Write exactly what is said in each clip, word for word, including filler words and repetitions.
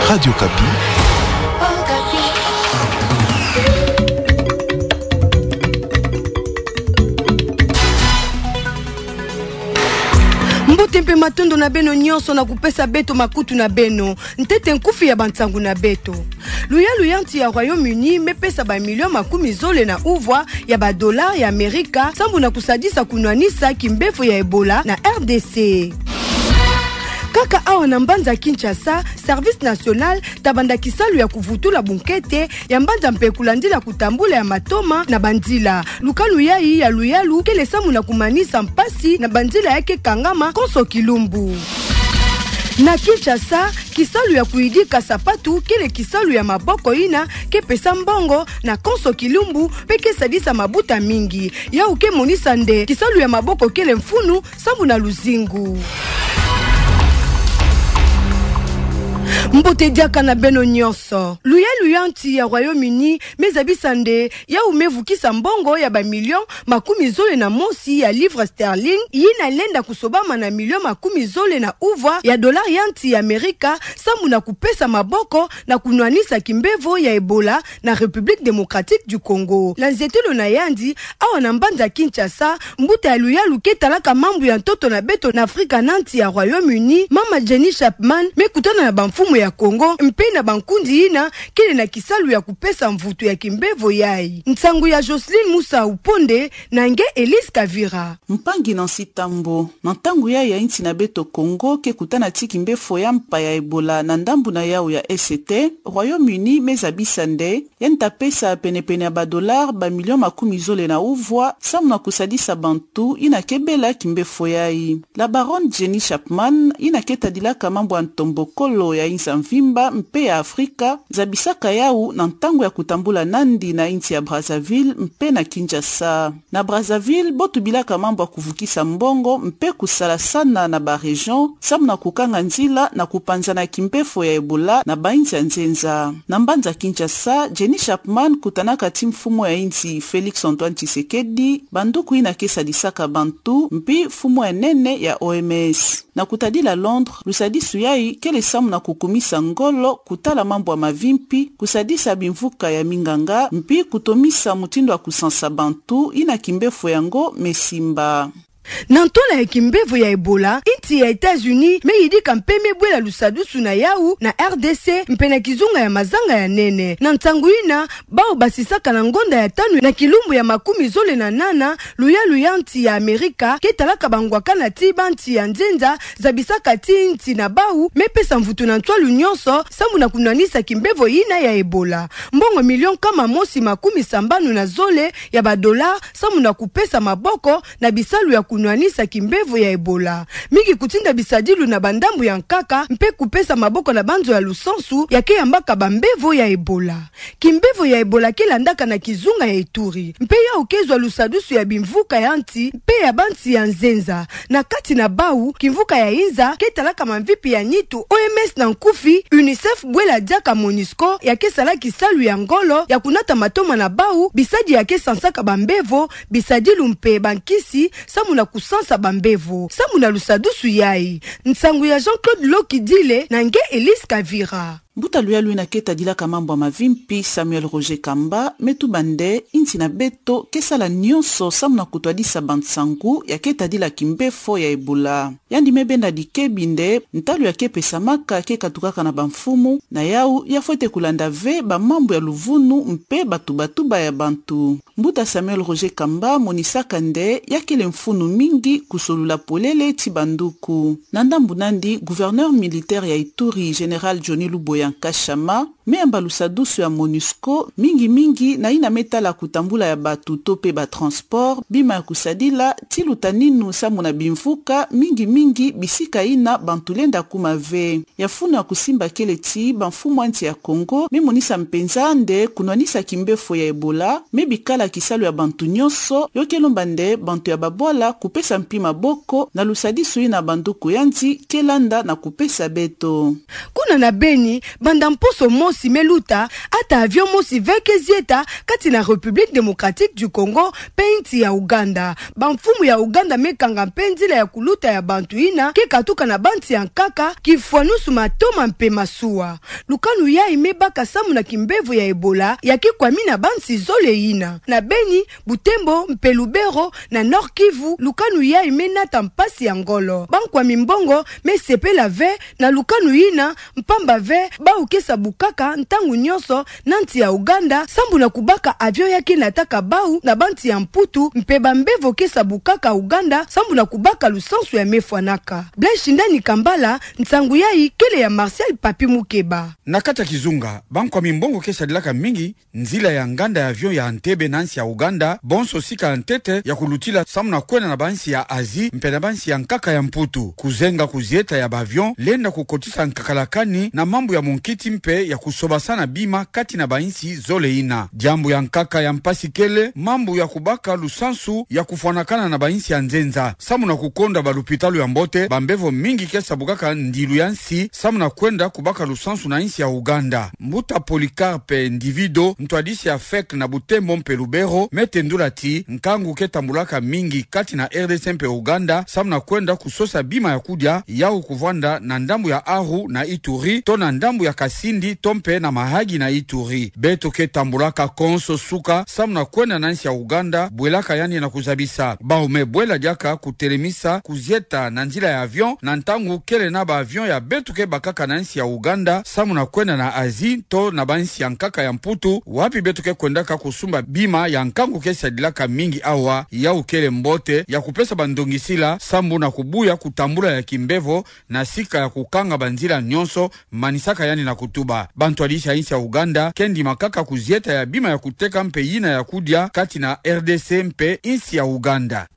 Radio Okapi. Mbote mpe matondo na beno nyonso na kupesa beto makutu na beno. Ntete nkufi ya bansangu na beto. Luyalu ya nsi ya Royaume-Uni mepesa bamilio makumi zole na uvwa ya badolare ya Amerika sambu na kusadisa kunwanisa kimbevo ya Ebola na R D C. Kaka awa na mbanza Kinshasa, Service National tabanda kisalu ya kuvutula bunkete ya mbanza mpe kulandila kutambula ya matoma na banzila. Lukalu yayi ya luyalu kele sambu na kumanisa mpasi na banzila ya ke kangama konso kilumbu. Na Kinshasa, kisalu ya kuyidika sapatu kele kisalu ya maboko yina ke pesa mbongo na konso kilumbu mpe ke sadisa mabuta mingi. Yawu ke monisa nde kisalu ya maboko kele mfunu sambu na luzingu. Mbote diaka na beno nyonso. Luyalu ya nsi ya Royaume-Uni mezabisa nde yawu mevukisa mbongo ya bamilio makumi zole na mosi ya livres sterling yina lenda kusobama na milio makumi zole na uvwa ya dolare ya nsi ya Amerika sambu na kupesa maboko na kunwanisa kimbevo ya Ebola na République Démocratique du Congo. Na nzietelo na yandi, awa na mbanza Kinshasa, mbuta ya luyalu ke talaka mambu ya ntoto na beto na Afrika na nsi ya Royaume-Uni, mama Jenny Chapman, mekutana na bamfumu ya Congo mpe na bankundi yina kele na kisalu ya kupesa mvutu ya kimbevo yayi. Nsangu ya Jocelyne Musa Uponde na nge Elise Kavira. Mpangi Nancy Tambo, na ntangu yayi ya nsi na beto Congo ke kutana ti kimbefo ya mpa ya Ebola na ndambu na yawu ya Est, Royaume-Uni mezabisa nde yandi ta pesa penepene ya badolare bamilio makumi zole na uvwa sambu na kusadisa bantu yina ke bela kimbefo yayi. La baronne Jenny Chapman, yina ke tadilaka mambu ya ntombokolo ya inza mvimba mpe ya Afrika, zabisaka yawu na ntangu ya kutambula nandi na nsi ya Brazzaville mpe na Kinshasa. Na Brazzaville, bo tubilaka mambu ya kuvukisa mbongo mpe kusalasana na ba région sambu na kukanga nzila na kupanzana kimbefo ya Ebola na bansi ya nzenza. Na mbanza Kinshasa, Jenny Chapman kutanaka ti mfumu ya nsi Félix Antoine Tshisekedi, banduku yina ke sadisaka bantu, mpi mfumu ya nene ya O M S. Na kutadila Londres, lusadisu yayi kele sambu na kukumisa ngolo, kutala mambu ya mavimpi, kusadisa bimvuka ya minganga, mpi kutomisa mutindu ya kusansa bantu yina kimbefo yango mesimba. Na ntola ya kimbevo ya Ebola, nsi ya États-Unis meyidika mpe mebwela lusadisu na yawu na R D C mpe na kizunga ya mazanga ya nene. Na nsangu yina, bawu basisaka na ngonda ya tanu na kilumbu ya makumi zole na nana, luyalu ya nsi ya Amerika ke talaka bangwakana ti bansi ya nzenza zabisaka ti nsi na bawu mepesa mvutu na nswalu nyonso sambu na kunwanisa kimbevo yina ya Ebola. Mbongo milio nkama mosi makumi sambanu na zole ya badolare sambu na kupesa maboko na bisalu ya kunwanisa kimbevo ya Ebola. Mingi kutinda bisadilu na bandambu ya nkaka mpe kupesa maboko na banzo ya lusansu ya ke yambaka bambevo ya Ebola. Kimbevo ya Ebola ke landaka na kizunga ya Ituri, mpe yawu ke zwa lusadisu ya bimvuka ya nsi mpe ya bansi ya nzenza. Na kati na bawu, kimvuka ya inza ke talaka mamvipi ya nitu, O M S na nkufi, UNICEF bwela diaka MONUSCO ya ke sala kisalu ya ngolo ya kunata matoma na bawu bisadi ya ke sansaka bambevo, bisadilu mpe bankisi sambu na kusansa bambevo sambu na lusadisu yayi. Nsangu ya Jean-Claude Lokidile na nge Elise Kavira. Mbuta luyalu yina ke tadilaka mambu ya mavimpi Samuel Roger Kamba me tuba nde nsi na beto ke sala nyonso sambu na kutwadisa bansangu ya ke tadila kimbefo ya Ebola. Yandi me benda dikebi nde ntalu ya ke pesamaka ke katukaka na bamfumu, na yawu ya fwete kulanda ve bamambu ya luvunu mpe batubatuba ya bantu. Mbuta Samuel Roger Kamba monisaka nde ya kele mfunu mingi kusolula polele ti banduku. Na ndambu nandi, gouverneur militaire ya Ituri, général Johnny Luboya Nkashama, me yamba lusadusu ya MONUSCO, mingi mingi na yina me tala kutambula ya batu to pe ba transport, bima ya kusadila, ti lutaninu samu na bimvuka, mingi mingi bisika yina bantu lenda kuma ve. Ya funu ya kusimba kele ti bamfumu ya nsi ya Kongo me monisa mpenza nde kunwanisa kimbefo ya Ebola me bikala kisalu ya bantu nyonso, yo ke lomba nde bantu ya babwala kupesa mpi maboko na lusadisu yina banduku yandi ke landa na kupesa beto. Kuna na Beni, Banda mposo mosi me luta, ata avion mosi ve ke zieta kati na République Démocratique du Congo mpe nsi ya Ouganda. Bamfumu ya Ouganda me kanga mpe nzila ya kuluta ya bantu yina ke katuka na bansi ya nkaka, kifwanusu matoma mpe masuwa. Lukanu yayi me baka sambu na kimbevo ya Ebola ya ke kwami na bansi zole yina. Na Beni, Butembo mpe Lubero, na Nord-Kivu, lukanu yayi me nata mpasi ya ngolo. Bankwami mbongo me sepela ve na lukanu yina, mpamba ve bawu ke sa bukaka ntangu nyonso na nsi ya Ouganda sambu na kubaka avion ya ke nataka bawu na bansi ya Mputu, mpe bambevo ke sa bukaka Ouganda sambu na kubaka lusansu ya me fwanaka. Blaise Shindani Kambala, nsangu yayi kele ya Martial Papi Mukeba. Na kati ya kizunga, bankwami mbongo ke sadilaka mingi nzila ya nganda ya avion ya Entebbe na nsi ya Ouganda, bonso sika ya ntete ya kulutila sambu na kwenda na bansi ya Asie mpe na bansi ya nkaka ya Mputu. Kuzenga kuzieta ya ba avion lenda kukotisa nkakalakani na mambu ya munkiti mpe ya kusobasana bima kati na bansi zole yina. Diambu ya nkaka ya mpasi kele mambu ya kubaka lusansu ya kufwanakana na bansi ya nzenza sambu na kukonda balupitalu ya mbote. Bambevo mingi ke sa bukaka ndilu ya nsi sambu na kwenda kubaka lusansu na nsi ya Ouganda. Mbuta Polycarpe Ndivido, ntwadisi ya fek na Butembo mpe Lubero, me tendula ti nkangu ke tambulaka mingi kati na R D C mpe Ouganda sambu na kwenda kusosa bima ya kudia, yawu kuvwanda na ndambu ya Aru na Ituri, to na ndambu ya Kasindi, to mpe na Mahagi na Ituri. Beto ke tambulaka konso suka sambu na kwenda na nsi ya Ouganda, bwelaka yandi na kuzabisa. Bawu me bwela diaka kutelemisa kuzieta na nzila ya avion, na ntangu kele na ba avion ya beto ke bakaka na nsi ya Ouganda sambu na kwenda na Asie to na bansi ya nkaka ya Mputu, wapi beto ke kwendaka kusumba bima ya nkangu ke sadilaka mingi awa. Yawu kele mbote ya kupesa bandongisila sambu na kubuya kutambula ya kimbevo na sika ya kukanga banzila nyonso, manisaka yandi na kutuba. Bantwadisi ya nsi ya Ouganda ke ndima kaka kuzieta ya bima ya kuteka mpe yina ya kudia kati na R D C mpe nsi ya Ouganda.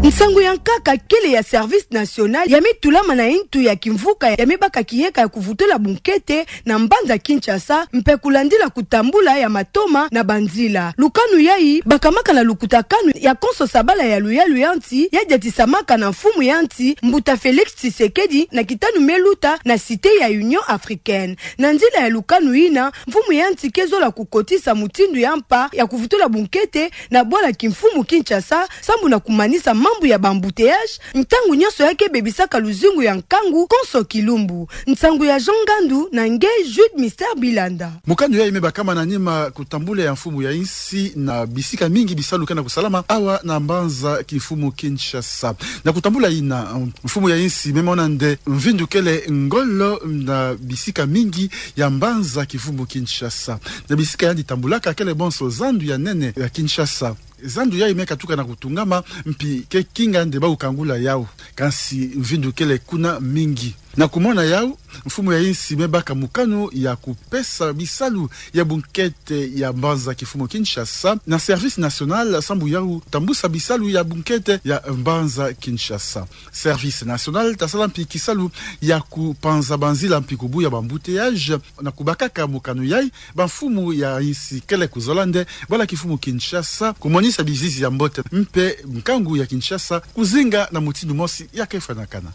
Nsangu ya nkaka kele ya Service National ya me tulama na ntu ya kimvuka ya me baka kiyeka ya kuvutula bunkete na mbanza Kinshasa, mpe kulandila kutambula ya matoma na banzila. Lukanu yayi bakamaka na lukutakanu ya konso sabala ya luyalu ya nsi ya diatisamaka na mfumu ya nsi, mbuta Félix Tshisekedi, na kitanu me luta na Cité ya Union Africaine. Na nzila ya lukanu yina, mfumu ya nsi ke zola kukotisa mutindu ya mpa ya kuvutula bunkete na bwala kimfumu Kinshasa, sambu na kumanisa mambu ya ba embouteillages, ntangu nyonso ya ke bebisaka luzingu ya nkangu konso kilumbu. Nsangu ya Jean Ngandu na nge Jude Mister Bilanda. Mokano yayi me bakama na nima kutambula ya mfumu ya nsi na bisika mingi bisalu ke na kusalama awa na mbanza kimfumu Kinshasa. Na kutambula yina, mfumu ya nsi me mona nde mvindu kele ngolo na bisika mingi ya mbanza kimfumu Kinshasa. Na bisika yandi tambulaka kele bonso zandu ya nene ya Kinshasa. Zandu yayi me katuka na kutungama, mpi ke kinga nde bawu kangula yawu. Kansi mvindu kele kuna mingi. Na kumona yawu, mfumu ya nsi me baka mokano ya kupesa bisalu ya bunkete ya mbanza kimfumu Kinshasa na Service National sambu yawu tambusa bisalu ya bunkete ya mbanza Kinshasa. Service National tasala mpi kisalu ya kupanza banzila mpi kubuya ba embouteillages. Na kubakaka mokano yayi, bamfumu ya nsi kele kuzola nde bwala kimfumu Kinshasa kumonisa bizizi ya mbote mpe nkangu ya Kinshasa kuzinga na mutindu mosi ya ke fwanakana.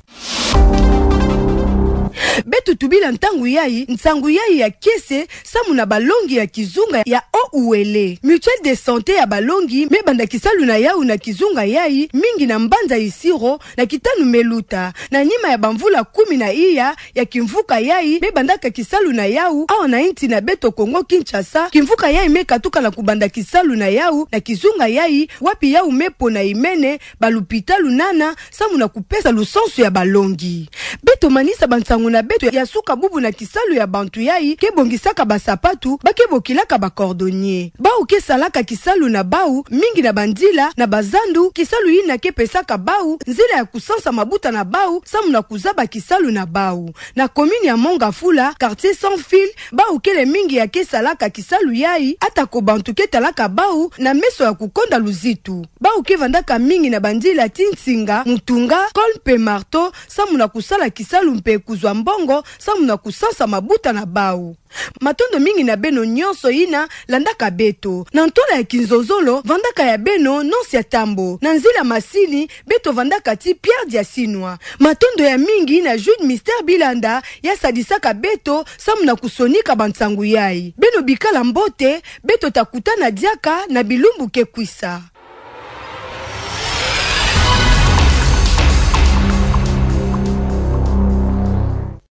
Beto tubila ntangu yayi, nsangu yayi ya kiese, sambu na balongi ya kizunga ya O U L. Mutuelle de santé ya balongi me banda kisalu na yawu na kizunga yayi, mingi na mbanza Isiro, na kitanu me luta. Na nima ya bamvula kumi na iya ya kimvuka yayi me bandaka kisalu na yawu awa na nsi na beto Kongo Kinshasa, kimvuka yayi me katuka na kubanda kisalu na yawu na kizunga yayi, wapi yawu me pona imene balupitalu nana, sambu na kupesa lusansu ya balongi. Beto manisa bansangu na beto ya suka bubu na kisalu ya bantu yayi ke bongisaka basapatu, ba ke bokilaka ba cordonniers. Bawu ke salaka kisalu na bawu mingi na banzila na bazandu, kisalu yina ke pesaka bawu nzila ya kusansa mabuta na bawu, sambu na kuzaba kisalu na bawu. Na commune ya Mont Ngafula, quartier Sans Fil, bawu kele mingi ya ke salaka kisalu yayi, atako bantu ke talaka bawu na meso ya kukonda luzitu. Bawu ke vandaka mingi na banzila ti Nsinga, Mutunga, Colle mpe Marteau, sambu na kusala kisalu mpe kuzwa mbongo samu na kusansa mabuta na bau. Matondo mingi na beno nyonso yina landaka beto. Na ntwala ya kinzozolo, vandaka ya beno Noncia Tambo. Na nzila masini, beto vandaka ti Pierre Diasinwa. Matondo ya mingi na Jude Mister Bilanda, ya sadisaka beto samu na kusonika bansangu yayi. Beno bikala mbote, beto ta kutana diaka na bilumbu ke kwisa.